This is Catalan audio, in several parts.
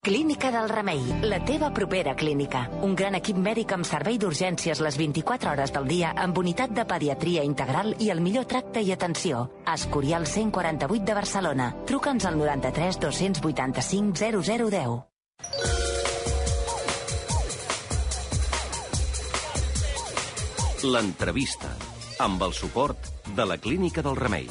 Clínica del Remei, la teva propera clínica. Un gran equip mèdic amb servei d'urgències les 24 hores del dia amb unitat de pediatria integral i el millor tracte i atenció. Escorial 148 de Barcelona. Truca'ns al 93 285 0010. L'entrevista, amb el suport de la Clínica del Remei.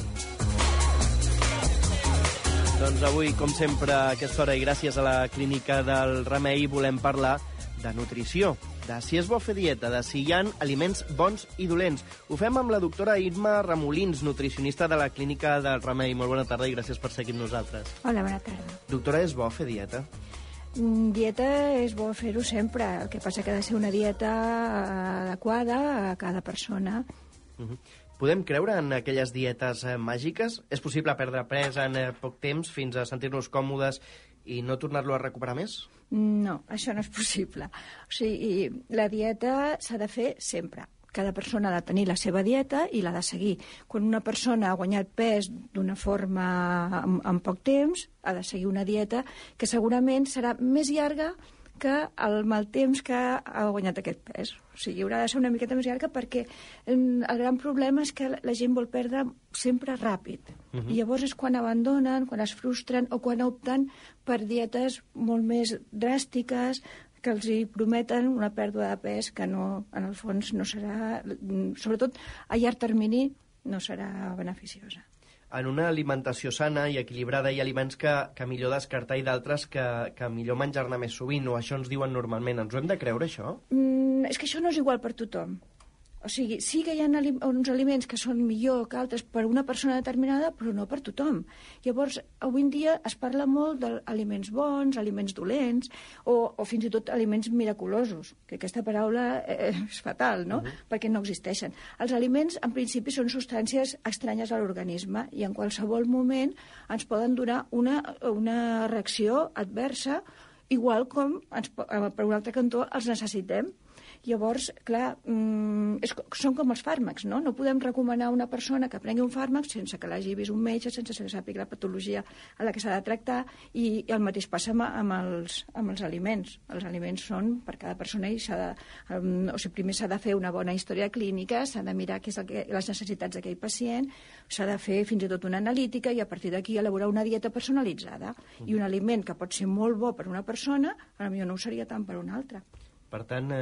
Doncs avui, com sempre, a aquesta hora i gràcies a la Clínica del Remei, volem parlar de nutrició, de si és bo fer dieta, de si hi ha aliments bons i dolents. Ho fem amb la doctora Imma Remolins, nutricionista de la Clínica del Remei. Molt bona tarda i gràcies per seguir amb nosaltres. Hola, bona tarda. Doctora, és bo fer dieta? Dieta és bo fer-ho sempre. El que passa que ha de ser una dieta adequada a cada persona. Podem creure en aquelles dietes màgiques? És possible perdre pes en poc temps fins a sentir-nos còmodes i no tornar-lo a recuperar més? No, això no és possible. O sigui, la dieta s'ha de fer sempre. Cada persona ha de tenir la seva dieta i l'ha de seguir. Quan una persona ha guanyat pes d'una forma en poc temps, ha de seguir una dieta que segurament serà més llarga que el mal temps que ha guanyat aquest pes. O sigui, haurà de ser una miqueta més llarga perquè el gran problema és que la gent vol perdre sempre ràpid. I llavors és quan abandonen, quan es frustren o quan opten per dietes molt més dràstiques que els hi prometen una pèrdua de pes que no, en el fons no serà, sobretot a llarg termini, no serà beneficiosa. En una alimentació sana i equilibrada hi ha aliments que millor descartar i d'altres que millor menjar-ne més sovint, o això ens diuen normalment. Ens ho hem de creure, això? És que això no és igual per tothom. O sigui, sí que hi ha uns aliments que són millor que altres per una persona determinada, però no per tothom. Llavors, avui en dia es parla molt d'aliments bons, aliments dolents, o fins i tot aliments miraculosos, que aquesta paraula és fatal, no? Perquè no existeixen. Els aliments, en principi, són substàncies estranyes a l'organisme i en qualsevol moment ens poden donar una reacció adversa, igual com per un altre cantó els necessitem. Llavors, clar, són com els fàrmacs, no? No podem recomanar a una persona que prengui un fàrmac sense que l'hagi vist un metge, sense que sàpiga la patologia a la que s'ha de tractar, i el mateix passa amb els aliments. Els aliments són per cada persona i primer s'ha de fer una bona història clínica, s'ha de mirar què és les necessitats d'aquell pacient, s'ha de fer fins i tot una analítica i a partir d'aquí elaborar una dieta personalitzada. I un aliment que pot ser molt bo per una persona, potser no ho seria tant per una altra. Per tant,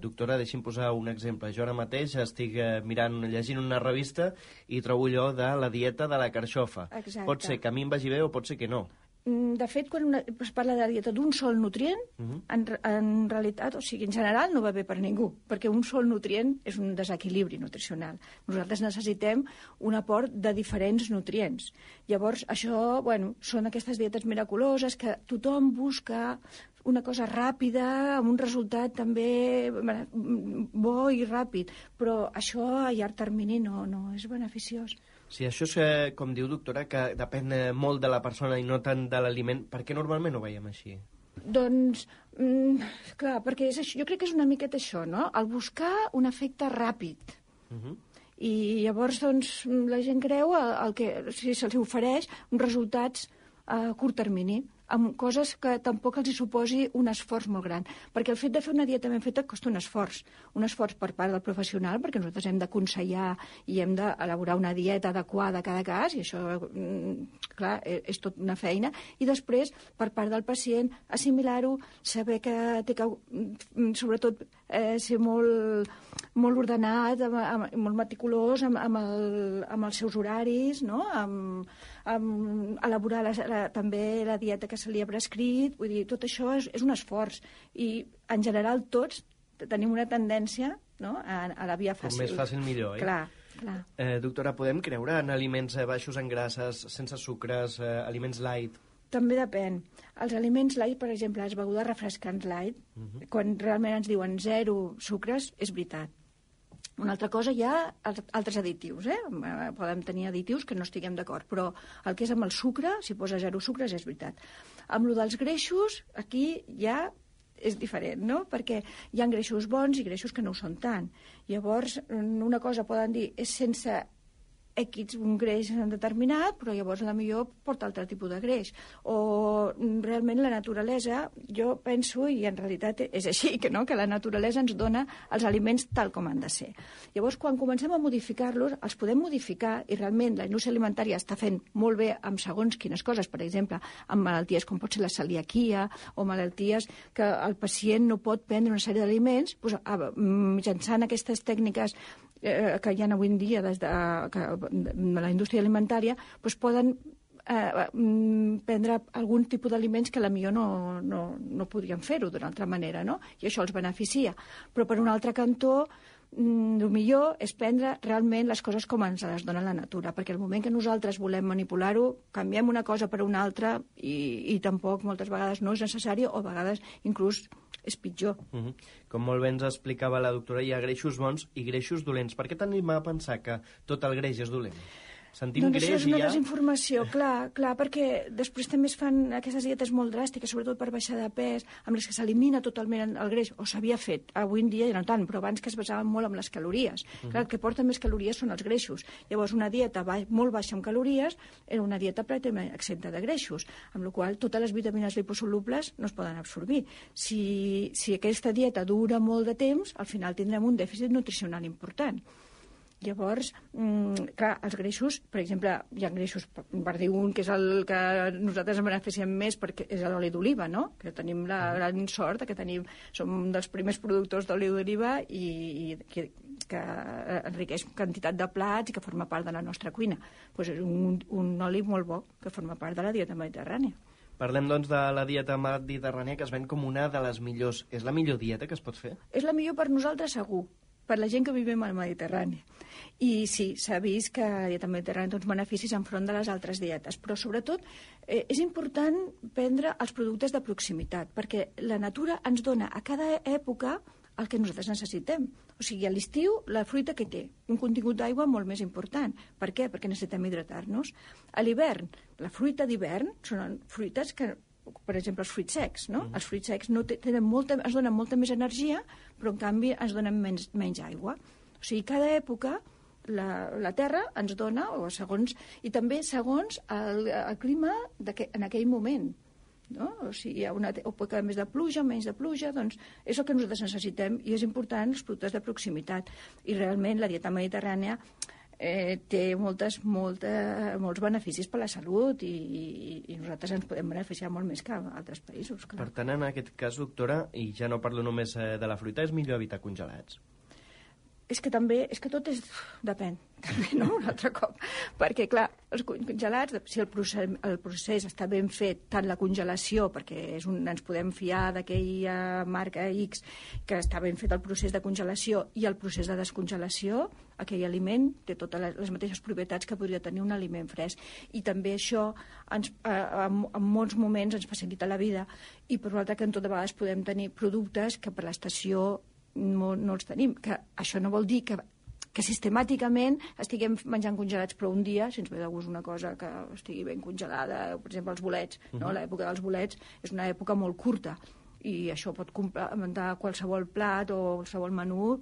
doctora, deixi'm posar un exemple. Jo ara mateix estic llegint una revista i trobo allò de la dieta de la carxofa. Exacte. Pot ser que a mi em vagi bé o pot ser que no. De fet, quan es parla de dieta d'un sol nutrient, en realitat, o sigui, en general no va bé per ningú, perquè un sol nutrient és un desequilibri nutricional. Nosaltres necessitem un aport de diferents nutrients. Llavors, això, són aquestes dietes miraculoses que tothom busca una cosa ràpida, amb un resultat també bo i ràpid, però això a llarg termini no és beneficiós. Si això és, com diu, doctora, que depèn molt de la persona i no tant de l'aliment, per què normalment ho veiem així? Doncs, clar, perquè jo crec que és una miqueta això, no? El buscar un efecte ràpid. I llavors, doncs, la gent creu si se'ls ofereix uns resultats a curt termini, amb coses que tampoc els hi suposi un esforç molt gran. Perquè el fet de fer una dieta ben feta costa un esforç per part del professional, perquè nosaltres hem d'aconsellar i hem d'elaborar una dieta adequada a cada cas, i això, clar, és tot una feina. I després, per part del pacient, assimilar-ho, saber que té que, sobretot, ser molt ordenat, molt meticulós amb els seus horaris, no? Amb elaborar també la dieta que se li ha prescrit, vull dir, tot això és un esforç i en general tots tenim una tendència, no?, a la via fàcil. Com més fàcil millor, Clar. Doctora, podem creure en aliments baixos en grasses, sense sucres, aliments light? També depèn. Els aliments light, per exemple, les begudes refrescants light, quan realment ens diuen 0 sucres, és veritat. Una altra cosa, hi ha altres additius, Podem tenir additius que no estiguem d'acord, però el que és amb el sucre, si posa 0 sucres, és veritat. Amb el dels greixos, aquí ja és diferent, no? Perquè hi ha greixos bons i greixos que no ho són tant. Llavors, una cosa poden dir és sense un greix determinat, però llavors millor porta altre tipus de greix. O realment la naturalesa, jo penso, i en realitat és així, que la naturalesa ens dona els aliments tal com han de ser. Llavors, quan comencem a modificar-los, els podem modificar, i realment la indústria alimentària està fent molt bé amb segons quines coses, per exemple, amb malalties com pot ser la celiaquia, o malalties que el pacient no pot prendre una sèrie d'aliments, mitjançant aquestes tècniques que hi ha avui en dia des de la indústria alimentària, poden prendre algun tipus d'aliments que potser no podrien fer-ho d'una altra manera, no? I això els beneficia. Però per un altre cantó, el millor és prendre realment les coses com ens les dona la natura, perquè el moment que nosaltres volem manipular-ho, canviem una cosa per una altra i tampoc moltes vegades no és necessari, o a vegades inclús és pitjor. Com molt bé ens explicava la doctora, hi ha greixos bons i greixos dolents. Per què tenim a pensar que tot el greix és dolent? Sentim doncs greix això és una i ja... desinformació, clar, perquè després també es fan aquestes dietes molt dràstiques, sobretot per baixar de pes, amb les que s'elimina totalment el greix, o s'havia fet, avui en dia ja no tant, però abans que es basaven molt en les calories. Clar, el que porta més calories són els greixos. Llavors, una dieta molt baixa en calories era una dieta pràcticament exenta de greixos, amb la qual totes les vitamines liposolubles no es poden absorbir. Si aquesta dieta dura molt de temps, al final tindrem un dèficit nutricional important. Llavors, clar, els greixos, per exemple, hi ha greixos, per dir un, que és el que nosaltres ens beneficiem més, perquè és l'oli d'oliva, no? Que tenim la gran sort que som un dels primers productors d'oli d'oliva i que enriqueix quantitat de plats i que forma part de la nostra cuina. Doncs és un oli molt bo que forma part de la dieta mediterrània. Parlem, doncs, de la dieta mediterrània, que es ven com una de les millors. És la millor dieta que es pot fer? És la millor per nosaltres, segur, per la gent que vivim al Mediterrani. I sí, s'ha vist que la dieta mediterrània té uns beneficis enfront de les altres dietes, però sobretot és important prendre els productes de proximitat, perquè la natura ens dona a cada època el que nosaltres necessitem. O sigui, a l'estiu, la fruita que té un contingut d'aigua molt més important. Per què? Perquè necessitem hidratar-nos. A l'hivern, la fruita d'hivern són fruites que, per exemple, els fruits secs, no? Els fruits secs ens donen molta més energia, però en canvi ens donen menys aigua. O sigui, cada època la terra ens dona, i també segons el clima en aquell moment. No? O sigui, hi ha una època més de pluja, menys de pluja, doncs és el que nosaltres necessitem i és important els productes de proximitat. I realment la dieta mediterrània té molts beneficis per a la salut i nosaltres ens podem beneficiar molt més que altres països. Clar. Per tant, en aquest cas, doctora, i ja no parlo només de la fruita, és millor evitar congelats? És que tot depèn, també, no?, un altre cop. Perquè, clar, els congelats, si el procés està ben fet, tant la congelació, perquè ens podem fiar d'aquella marca X, que està ben fet el procés de congelació, i el procés de descongelació, aquell aliment té totes les mateixes propietats que podria tenir un aliment fresc. I també això, en molts moments, ens facilita la vida. I, per un altre cantó, de vegades podem tenir productes que per l'estació no els tenim, que això no vol dir que sistemàticament estiguem menjant congelats, però un dia, si ens ve de gust una cosa que estigui ben congelada, per exemple els bolets, no? L'època dels bolets és una època molt curta i això pot complementar qualsevol plat o qualsevol menú,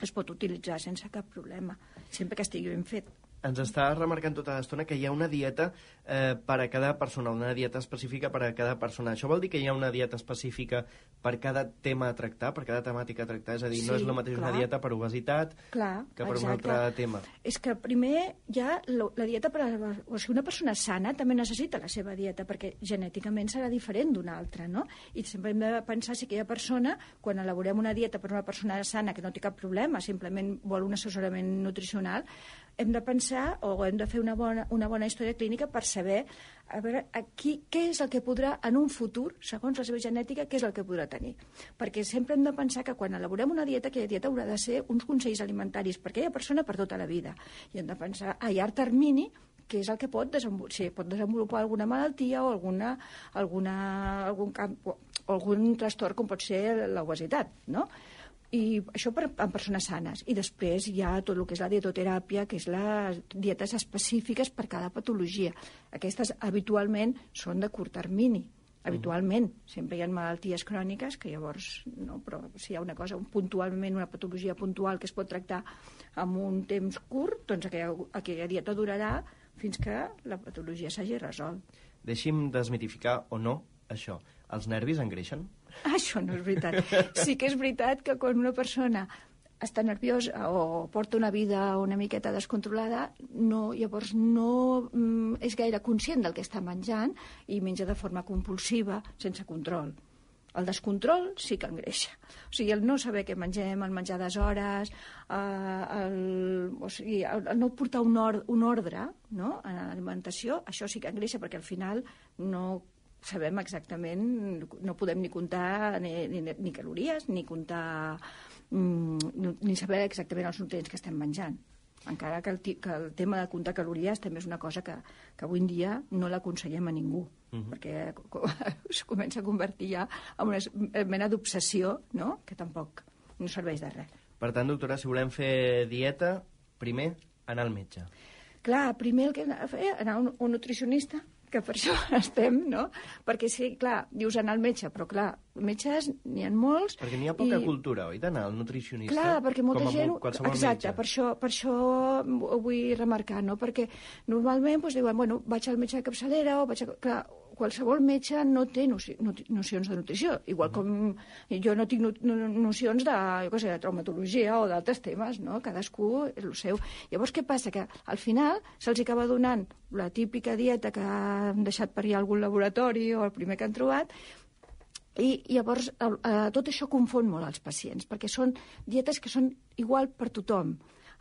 es pot utilitzar sense cap problema, sempre que estigui ben fet. Ens està remarcant tota l'estona que hi ha una dieta per a cada persona, una dieta específica per a cada persona. Això vol dir que hi ha una dieta específica per cada tema a tractar, per cada temàtica a tractar? És a dir, no és el mateix una dieta per obesitat que per un altre tema. És que primer hi ha la dieta o sigui, una persona sana també necessita la seva dieta, perquè genèticament serà diferent d'una altra, no? I sempre hem de pensar si aquella persona, quan elaborem una dieta per a una persona sana que no té cap problema, simplement vol un assessorament nutricional, hem de pensar o hem de fer una bona història clínica per saber què és el que podrà en un futur, segons la seva genètica, què és el que podrà tenir. Perquè sempre hem de pensar que quan elaborem una dieta, aquella dieta haurà de ser uns consells alimentaris per aquella persona per tota la vida. I hem de pensar a llarg termini què és el que pot desenvolupar alguna malaltia o algun trastorn com pot ser l'obesitat, no? I això en persones sanes. I després hi ha tot el que és la dietoteràpia, que és les dietes específiques per cada patologia. Aquestes habitualment són de curt termini habitualment. Sempre hi ha malalties cròniques que llavors, no, però si hi ha una cosa puntualment, una patologia puntual que es pot tractar en un temps curt, doncs aquella dieta durarà fins que la patologia s'hagi resolt. Deixi'm desmitificar o no això. Els nervis engreixen? Això no és veritat. Sí que és veritat que quan una persona està nerviosa o porta una vida una miqueta descontrolada, llavors no és gaire conscient del que està menjant i menja de forma compulsiva, sense control. El descontrol sí que engreixa. O sigui, el no saber què mengem, el menjar a deshores, el no portar un ordre, no?, en l'alimentació, això sí que engreixa, perquè al final no sabem exactament, no podem ni comptar ni calories, ni comptar ni saber exactament els nutrients que estem menjant. Encara que el tema de comptar calories també és una cosa que avui en dia no l'aconsellem a ningú, perquè es comença a convertir ja en una mena d'obsessió, no?, que tampoc no serveix de res. Per tant, doctora, si volem fer dieta, primer anar al metge. Clar, primer el que hem de fer és anar a un nutricionista, que per això estem, no? Perquè sí, clar, dius anar al metge, però clar, metges n'hi ha molts. Perquè n'hi ha poca cultura, oi, d'anar al nutricionista? Clar, perquè molta gent... Exacte, per això ho vull remarcar, no? Perquè normalment diuen, bueno, vaig al metge de capçalera o vaig a... Clar, qualsevol metge no té nocions de nutrició, igual com jo no tinc nocions de traumatologia o d'altres temes, no? Cadascú és el seu. Llavors, què passa? Que al final se'ls acaba donant la típica dieta que han deixat per allà algun laboratori o el primer que han trobat, i llavors tot això confon molt els pacients, perquè són dietes que són igual per tothom.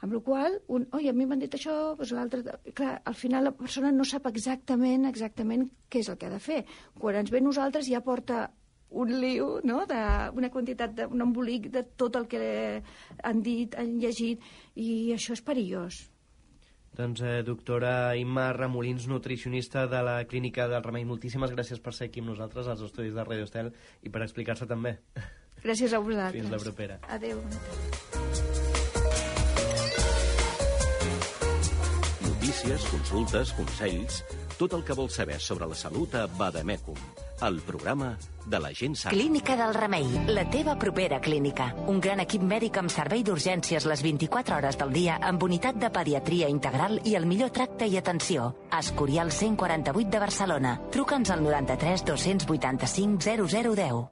Amb la qual cosa, a mi m'han dit això, doncs l'altre... Clar, al final la persona no sap exactament què és el que ha de fer. Quan ens ve nosaltres ja porta un liu, no?, d'una quantitat, un embolic de tot el que han dit, han llegit, i això és perillós. Doncs, doctora Imma Remolins, nutricionista de la Clínica del Remei, moltíssimes gràcies per ser aquí amb nosaltres als estudis de Radio Estel i per explicar-se també. Gràcies a vosaltres. Fins la propera. Adéu. Notícies, consultes, consells... Tot el que vols saber sobre la salut a Vademecum, el programa de la gent sana. Clínica del Remei, la teva propera clínica. Un gran equip mèdic amb servei d'urgències les 24 hores del dia, amb unitat de pediatria integral i el millor tracte i atenció. Escorial 148 de Barcelona. Truca'ns al 93 285 0010.